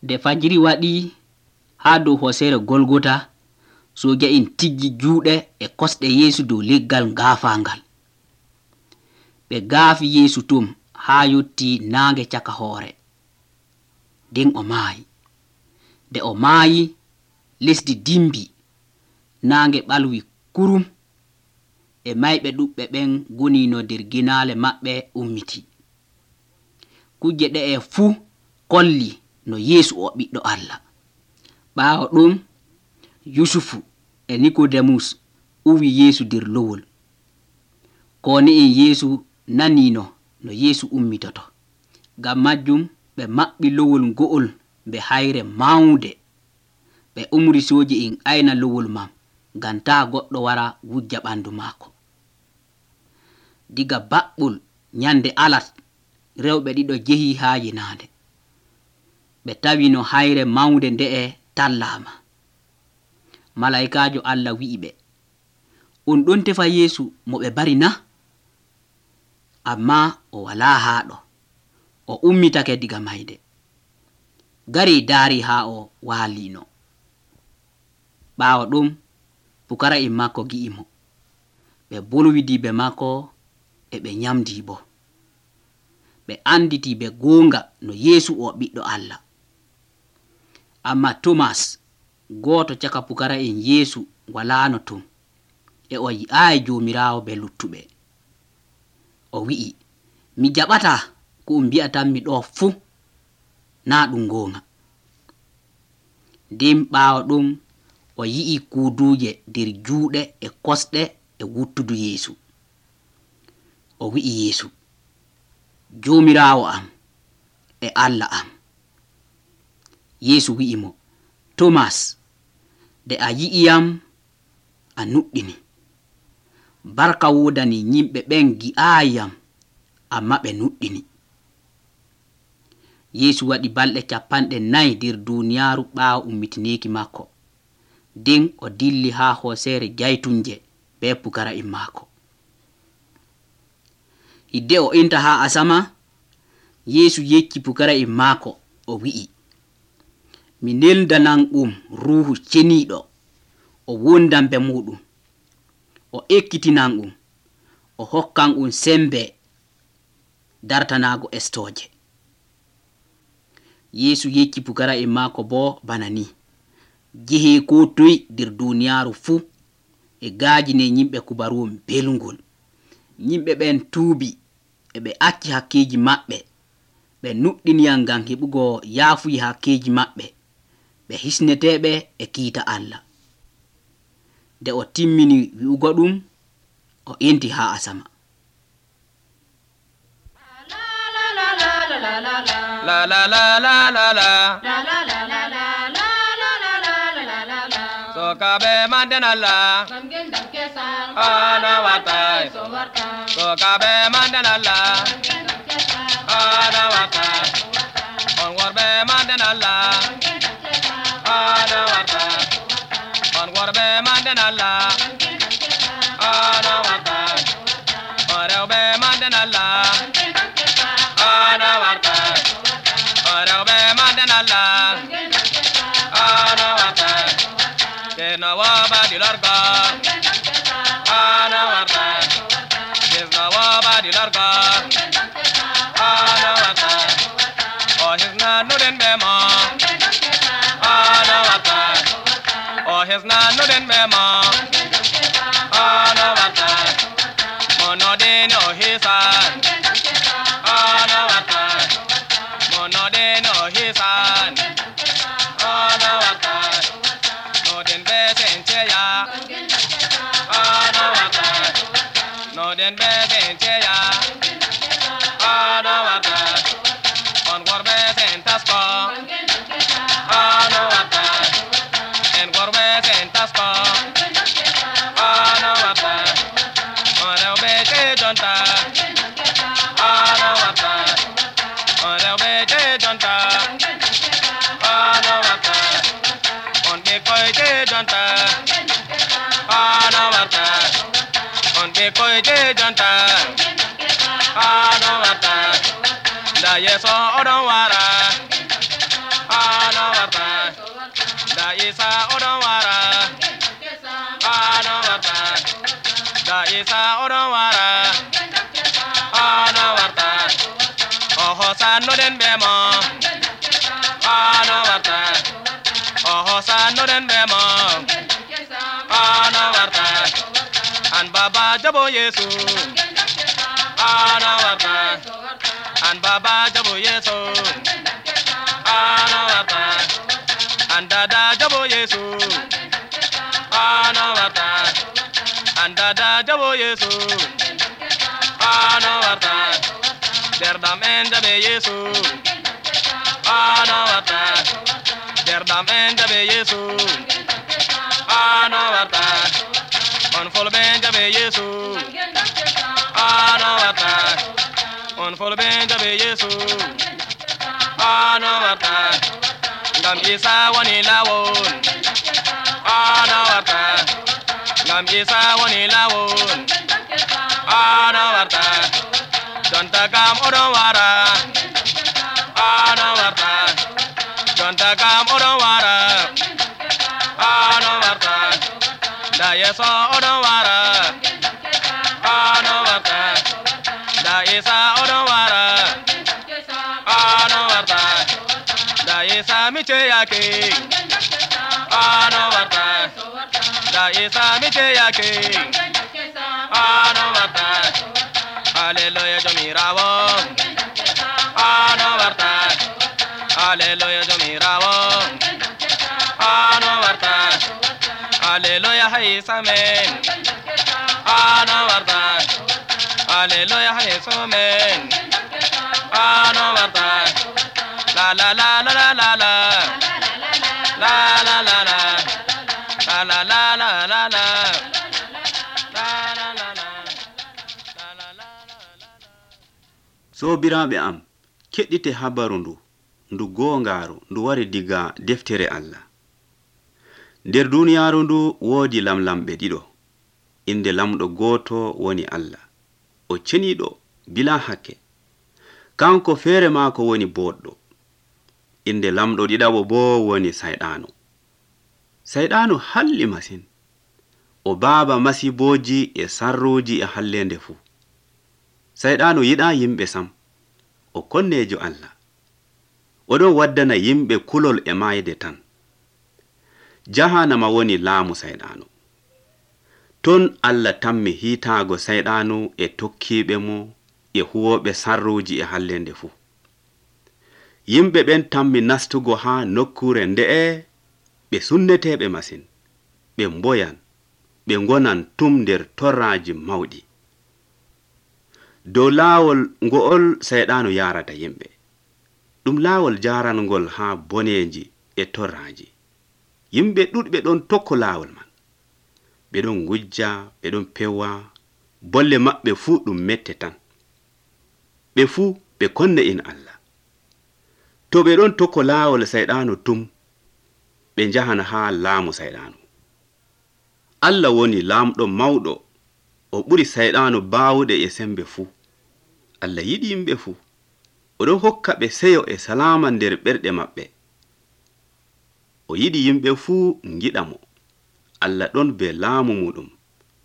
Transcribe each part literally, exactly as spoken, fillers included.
Nde fajiri waɗi haa dow hoosere Golgota, sooja'en tiggi juuɗe e kosɗe Yeesu dow leggal ngaafaangal. Ɓe gaafi Yeesu tum haa yotti naange caka hoore. Nden o maayi. Nde o maayi, lesdi dimbi, naange ɓalwi kurum, e mayɓe ɗuɓɓe ɓen goni no nder ginaale maɓɓe ummiti. Kuje ɗe'e fuu kolli no Yeesu o ɓiɗɗo Allah. Ɓaawo ɗum, Yusufu e Nikodemus uwi Yeesu nder lowol. Kooni'en Yeesu naniino no Yeesu ummitoto. Ngam majjum ɓe maɓɓi lowol ngo'ol mbe hayre mawnde. Ɓe umri sooji'en ayna lowol man ngam taa goɗɗo wara wujja ɓandu maako. Diga baɓɓol nyande alat, rewɓe ɗiɗo jehi haa yinaande. Ɓe tawi no hayre mawnde nde'e tallaama. Malaykaajo Allah wi'i ɓe, on ɗon tefa Yeesu mo ɓe bari na? Ammaa o walaa haaɗo, o ummitake diga mayde. Garii daari haa o waaliino. Ɓaawo ɗum, pukara'en maako gi'i mo. Ɓe bolwidii be maako e ɓe nyamdii bo. Ɓe anditii be goonga no Yeesu o ɓiɗɗo Allah. Amma Tomas, gooto caka pukara'en Yeesu, walaano ton, e o yi'aayi Joomiraawo be luttuɓe. O wi'i, mi jaɓataa ko um mbi'atanmi ɗoo fuu, naa ɗum goonga. Nden ɓaawo ɗum, o yi'i kuuduuje nder juuɗe e kosɗe e wuttudu Yeesu. O wi'i Yeesu, Joomiraawo am e Allah am. Yeesu wi'i mo, Tomas, nde a yi'iyam, a nuɗɗini. Barka woodani yimɓe ɓen gi'aayam, amma ɓe nuɗɗini. Yeesu waɗi balɗe capanɗe nayi nder duuniyaaru ɓaawo ummitineeki maako. Nden o dilli haa hooseere Jaytunje be pukara'en maako. Hidde o inta haa asama, Yeesu yecci pukara'en maako, o wi'i, mi neldanan um Ruuhu Ceniiɗo, o wondan be muɗum, o ekkitinan um, o hokkan um sembe dartanaago estooje. Yeesu yecci pukara'en maako boo bana ni, jehee koo toy nder duuniyaaru fuu, e gaajine yimɓe kubaruwol belngol. Yimɓe ɓen tuubi, e ɓe acci hakkeeji maɓɓe, ɓe nuɗɗiniyam ngam heɓugo yaafuyi hakkeeji maɓɓe, ɓe hisneteeɓe e kiita Allah. Nde o timmini wi'ugo ɗum, o inti haa asama. La la la la la la. Sokabe mandenalla. Ana watai. Sokabe mandenalla. Ana watai. On warbe mandenalla. Ana watai. On warbe mandenalla. Ana watai. On rewbe mandenalla. Ana watai. On rewbe mandenalla. Ana watai. Kena waba dilarga. Ana watai. Kena waba dilarga. Ana watai. Oh hisna nuden bema. Ana watai. Oh hisna nuden bema. Ana watai. Monodin oh hisan. Ana watai. Monodin oh hisan. Ana watai. Nodin besen cheya. Ana watai. Nodin besen cheya. Ana watai. On gorbe sen tasko. Ana watai. En gorbe sen tasko. Ana watai. On rewbe che jonta. Ana watai. On rewbe che jonta. Ana watai. On be koy che jonta. Ana watai. On be koy che jonta. Ana watai. Da yeso odon wara. Ana isa oɗon wara ono warta oho sannoɗen ɓe mo ono warta oho sannoɗen ɓe mo ono warta an baba jabo yesu ono warta an baba jabo yesu ono warta an dada jabo yesu ono warta an dada jabo yesu ono warta derdam en jaɓe yesu ono warta derdam en jaɓe yesu ono warta on fulɓe jaɓe yesu ono warta on fulɓe jaɓe yesu ono warta ngam isa woni lawol ono warta ngam isa woni lawol ono warta jonta kam oɗon wara ono warta jonta kam oɗon wara ono warta da yeso oɗon wara ono warta da isa oɗon wara ono warta da isa miceyake ono warta da isa miceyake ono warta Hallelujah jomirawo ono warta Hallelujah jomirawo ono warta Hallelujah haisamen ono warta Hallelujah haisamen ono warta la la la la la la la la la la la la la la la la la sobiraɓe am keɗɗite habaru ndu ndu gongaru ndu wari diga deftere Allah. Nder duniyaaru ndu woodi lamlamɓe ɗiɗo, inde lamɗo gooto woni Allah, o ceniɗo bila hakke. Kanko feere maako woni boɗɗo. Inde lamɗo ɗiɗaɓo bo woni sayɗano. Sayɗano halli masin, o baaba masiboji e sarruji e hallende fuu. Sayɗano yiɗa yimɓe sam, o konnejo Allah. Oɗon waddana yimɓe kulol e mayde tan. Jahannama woni laamu sayɗano. Ton Allah tammi hiitaago sayɗano e tokkiɓe mo e huwoɓe sarruji e hallende fuu. Yimɓe ɓen tammi nastugo ha nokkure nde'e ɓe sunneteɓe masin, ɓe mboyan, ɓe ngonan tum nder torraji mawɗi. Dow laawol ngo'ol sayɗano yarata yimɓe, ɗum laawol jarangol ha boneji e torraji. Yimɓe ɗuɗɓe ɗon tokko laawol man, ɓe ɗon ngujja, ɓe ɗon pewa, bolle maɓɓe fuu ɗum mette tan. Ɓe fuu ɓe konne in Allah. To ɓe ɗon tokko laawol sayɗano tum, ɓe njahana ha laamu sayɗano. Allah woni laamɗo mawɗo, o ɓuri sayɗano baawuɗe e sembe fuu. Allah yiɗi yimɓe fuu, oɗon hokka ɓe seyo e salama nder ɓerɗe maɓɓe. O yiɗi yimɓe fuu ngiɗa mo. Allah ɗon be laamu muɗum,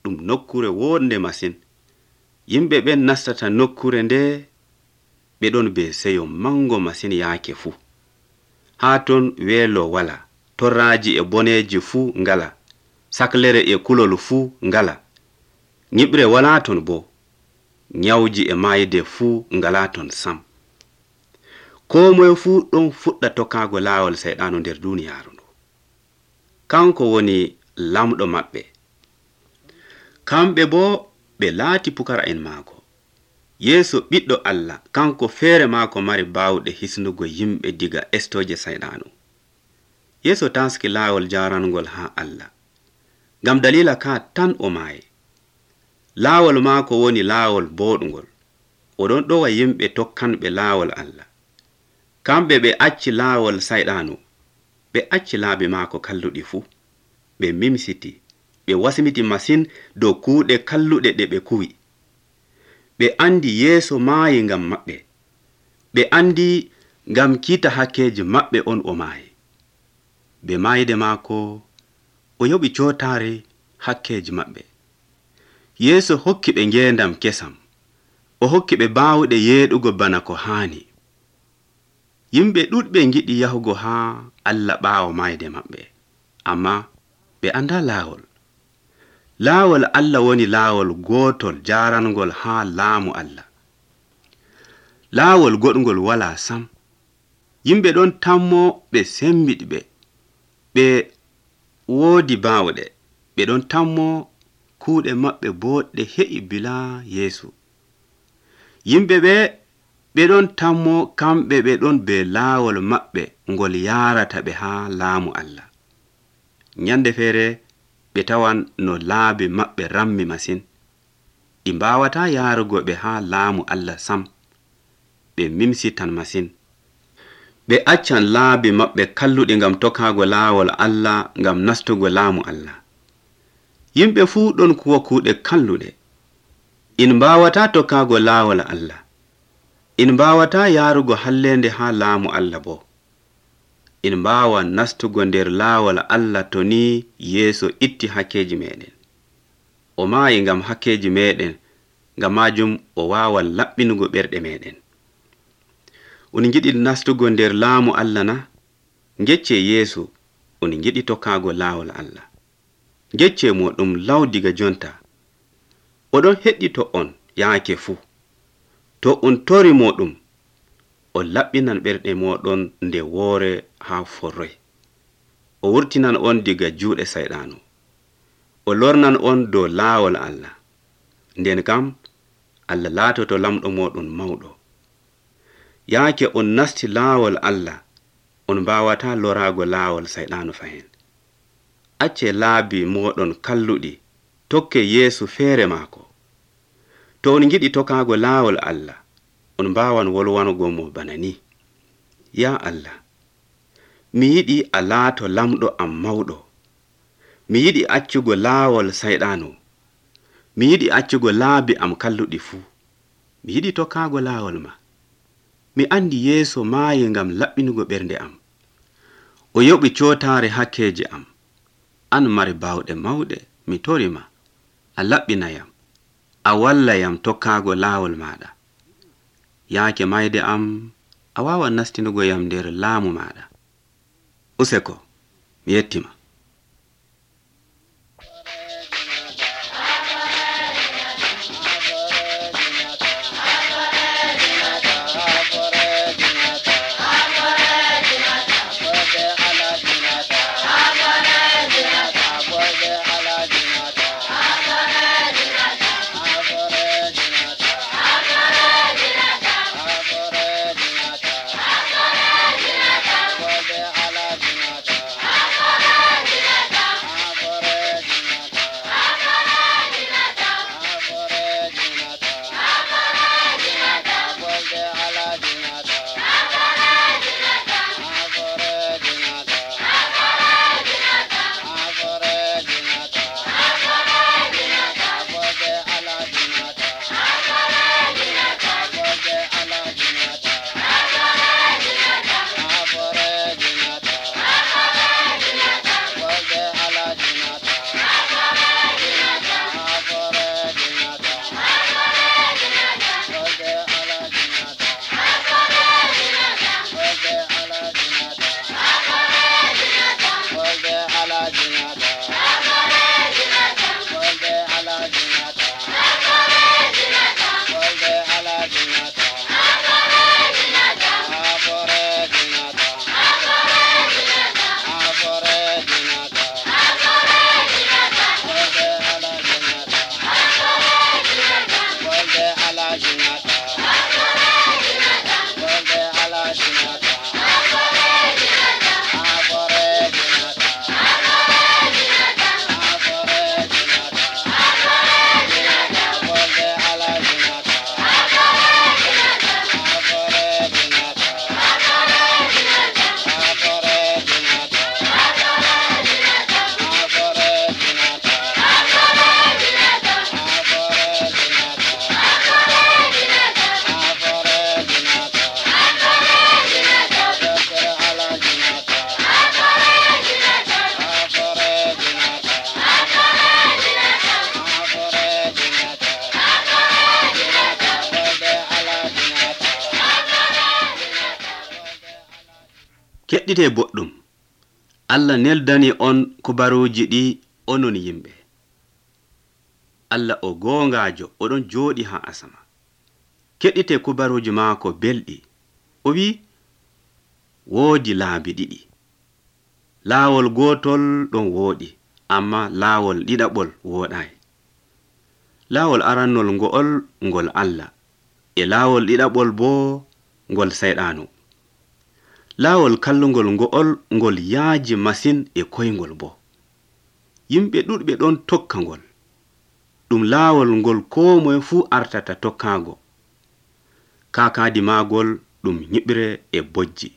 ɗum nokkure wonde masin. Yimɓe ɓen nastata nokkure nde, ɓe ɗon be seyo mango masin yaake fuu. Ha ton weelo wala, torraji e boneji fuu ngala, saklere e kulol fuu ngala. Nyiɓre wala ton bo, nyawji e mayde fuu ngala ton sam. Ko moye fuu ɗon fuɗɗa tokkago laawol sayɗano nder duniyaaru ndu. Kanko woni lamɗo maɓɓe. Kamɓe bo ɓe laati pukara'en maako. Yeeso ɓiɗɗo Allah, kanko feere maako mari baawɗe hisnugo yimɓe diga estoje sayɗano. Yeeso taski laawol jarangol ha Allah. Ngam dalila ka tan o maayi. Laawol maako woni laawol boɗngol. Oɗon ɗowa yimɓe tokkanɓe laawol Allah. Kamɓe ɓe acci laawol sayɗano, ɓe acci laabi maako kalluɗi fuu. Ɓe mimsiti, ɓe wasimiti masin dow kuuɗe kalluɗe ɗe ɓe kuwi. Ɓe andi Yeeso maayi ngam maɓɓe. Ɓe andi ngam kiita hakkeji maɓɓe on o maayi. Be maayde maako, o yoɓi cootaare hakkeji maɓɓe. Yeesu hokki ɓe ngeendam kesam. O hokki ɓe baawɗe yeeɗugo bana ko haani. Yimɓe ɗuɗɓe ngiɗi yahugo haa Allah ɓaawo mayde maɓɓe, amma ɓe anda laawol. Laawol Allah woni laawol gootol jaarangol haa laamu Allah. Laawol goɗgol walaa sam. Yimɓe ɗon tammo ɓe sembiɗi ɓe. Ɓe woodi baawɗe. Ɓe ɗon tammo kuuɗe maɓɓe boɗɗe he'i bilaa Yeesu. Yimɓe ɓe ɓe ɗon tammo kamɓe ɓe ɗon be laawol maɓɓe ngol yaarata ɓe haa laamu Allah. Nyande feere ɓe tawan no laabi maɓɓe rammi masin. Ɗi mbaawataa yaarugo ɓe haa laamu Allah sam. Ɓe mimsitan masin. Ɓe accan laabi maɓɓe kalluɗi ngam tokkaago laawol Allah ngam nastugo laamu Allah. Yimɓe fuu ɗon kuwa kuuɗe kalluɗe. In mbaawataa tokkaago laawol Allah. In mbaawataa yaarugo hallende haa laamu Allah bo. In mbaawa nastugo nder laawol Allah to ni Yeesu itti hakkeji meɗen. O maayi ngam hakkeji meɗen, ngam majum o waawan laɓɓinugo ɓerɗe meɗen. On ngiɗi nastugo nder laamu Allah na? Ngecce Yeesu on ngiɗi tokkaago laawol Allah. Ngecce mo ɗum law diga jonta. Oɗon heɗɗito on yaake fuu. To on tori mo ɗum, o laɓɓinan ɓerɗe moɗon nde woore haa forroy. O wurtinan on diga juuɗe sayɗaanu. O lornan on dow laawol Allah. Nden kam Allah laatoto lamɗo moɗon mawɗo. Yaake on nasti laawol Allah, on mbawataa loraago laawol sayɗaanu fahin. Acce laabi moɗon kalluɗi, tokke Yeesu feere maako. To on ngiɗi tokkaago laawol Allah, on mbaawan wolwanugo mo bana ni. Ya Allah, mi yiɗi a laato lamɗo am mawɗo. Mi yiɗi accugo laawol sayɗaanu. Mi yiɗi accugo laabi am kalluɗi fuu. Mi yiɗi tokkaago laawol ma. Mi andi Yeesu maayi ngam laɓɓinugo ɓernde am. O yoɓi cootaare hakkeje am. An mari baawɗe mawɗe, mi torima. A laɓɓinayam. A wallayam tokkaago laawol maɗa. Yaake mayde am, a waawan nastinugo yam nder laamu maɗa. Useko, mi yettima. Keɗɗite boɗɗum, Allah neldani on kubaruuji ɗi onon yimɓe. Allah o goongaajo, oɗon jooɗi haa asama. Keɗɗite kubaruuji maako belɗi. O wi woodi laabi ɗiɗi. Laawol gootol ɗon wooɗi, amma laawol ɗiɗaɓol wooɗaay. Laawol arannol ngo'ol ngol Allah, e laawol ɗiɗaɓol boo ngol Sayɗaanu. Laawol kallungol ngo'ol ngol yaaji masin e koyngol boo. Yimɓe ɗuɗɓe ɗon tokka ngol. Ɗum laawol ngol koo moye fuu artata tokkaago. Kaakaadi maagol ɗum nyiɓre e bojji.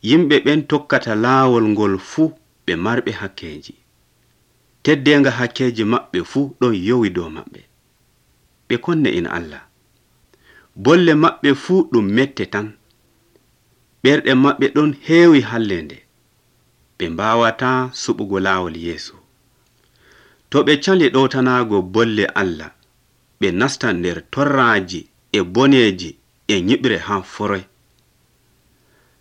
Yimɓe ɓen tokkata laawol ngol fuu ɓe marɓe hakkeeji. Teddeenga hakkeeji maɓɓe fuu ɗon yowi dow maɓɓe. Ɓe konne in Allah. Bolle maɓɓe fuu ɗum mette tan. Ɓerɗe maɓɓe ɗon heewi hallende. Ɓe mbaawataa suɓugo laawol Yeesu. To ɓe cali ɗowtanaago bolle Allah, ɓe nastan nder torraaji e boneeji e nyiɓre haa foroy.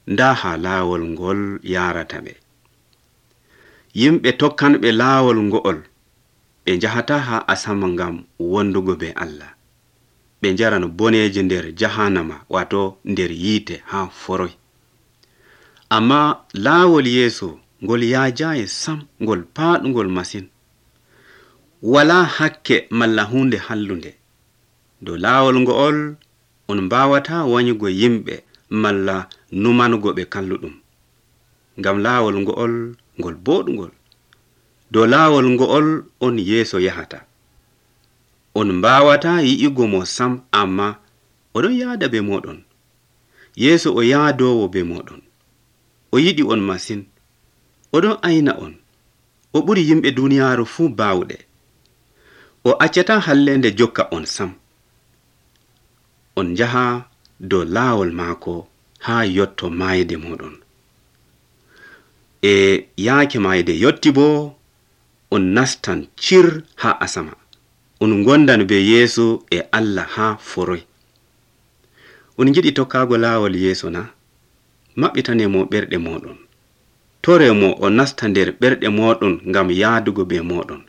Ndaa haa laawol ngol yaarata ɓe. Yimɓe tokkanɓe laawol ngo'ol, ɓe njahataa haa asama ngam wondugo be Allah. Ɓe njaran boneeji nder jahannama, wato nder yiite haa foroy. Amma laawol Yeesu ngol yaajaayi sam, ngol paaɗungol masin. Walaa hakke malla hunde hallunde. Dow laawol ngo'ol on mbaawataa wanyugo yimɓe malla numanugo ɓe kalluɗum. Ngam laawol ngo'ol ngol booɗungol. Dow laawol ngo'ol on Yeeso yahata. On mbaawataa yi'ugo mo sam, amma oɗon yaada be moɗon. Yeeso o yaadowo be moɗon. O yiɗi on masin. Oɗon ayna on. O ɓuri yimɓe duniyaaru fuu baawɗe. O accataa hallende jokka on sam. On njaha dow laawol maako haa yotto maayde moɗon. E yaake maayde yotti boo, on nastan cir haa asama. On ngondan be Yeesu e Allah haa foroy. On ngiɗi tokkaago laawol Yeesu na? Maɓɓitane mo ɓerɗe moɗon. Tore mo o nasta nder ɓerɗe moɗon ngam yaadugo be moɗon.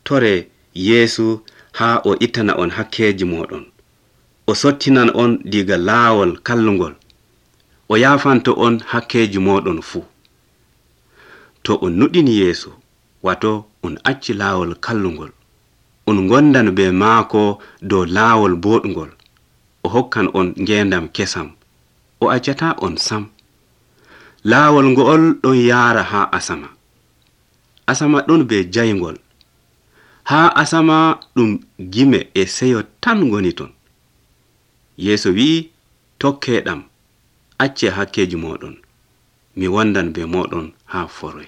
Tore Yeesu haa o ittana on hakkeeji moɗon. O sottinan on diga laawol kallungol. O yaafanto on hakkeeji moɗon fuu. To on nuɗini Yeesu, wato on acci laawol kallungol, on ngondan be maako dow laawol boɗungol, o hokkan on ngendam kesam. O accataa on sam. Laawol ngo'ol ɗon yaara haa asama. Asama ɗon be jayngol. Haa asama ɗum gime e seyo tan ngoni ton. Yeeso wi'i, tokkeeɗam, acce hakkeeji moɗon. Mi wondan be moɗon haa foroy.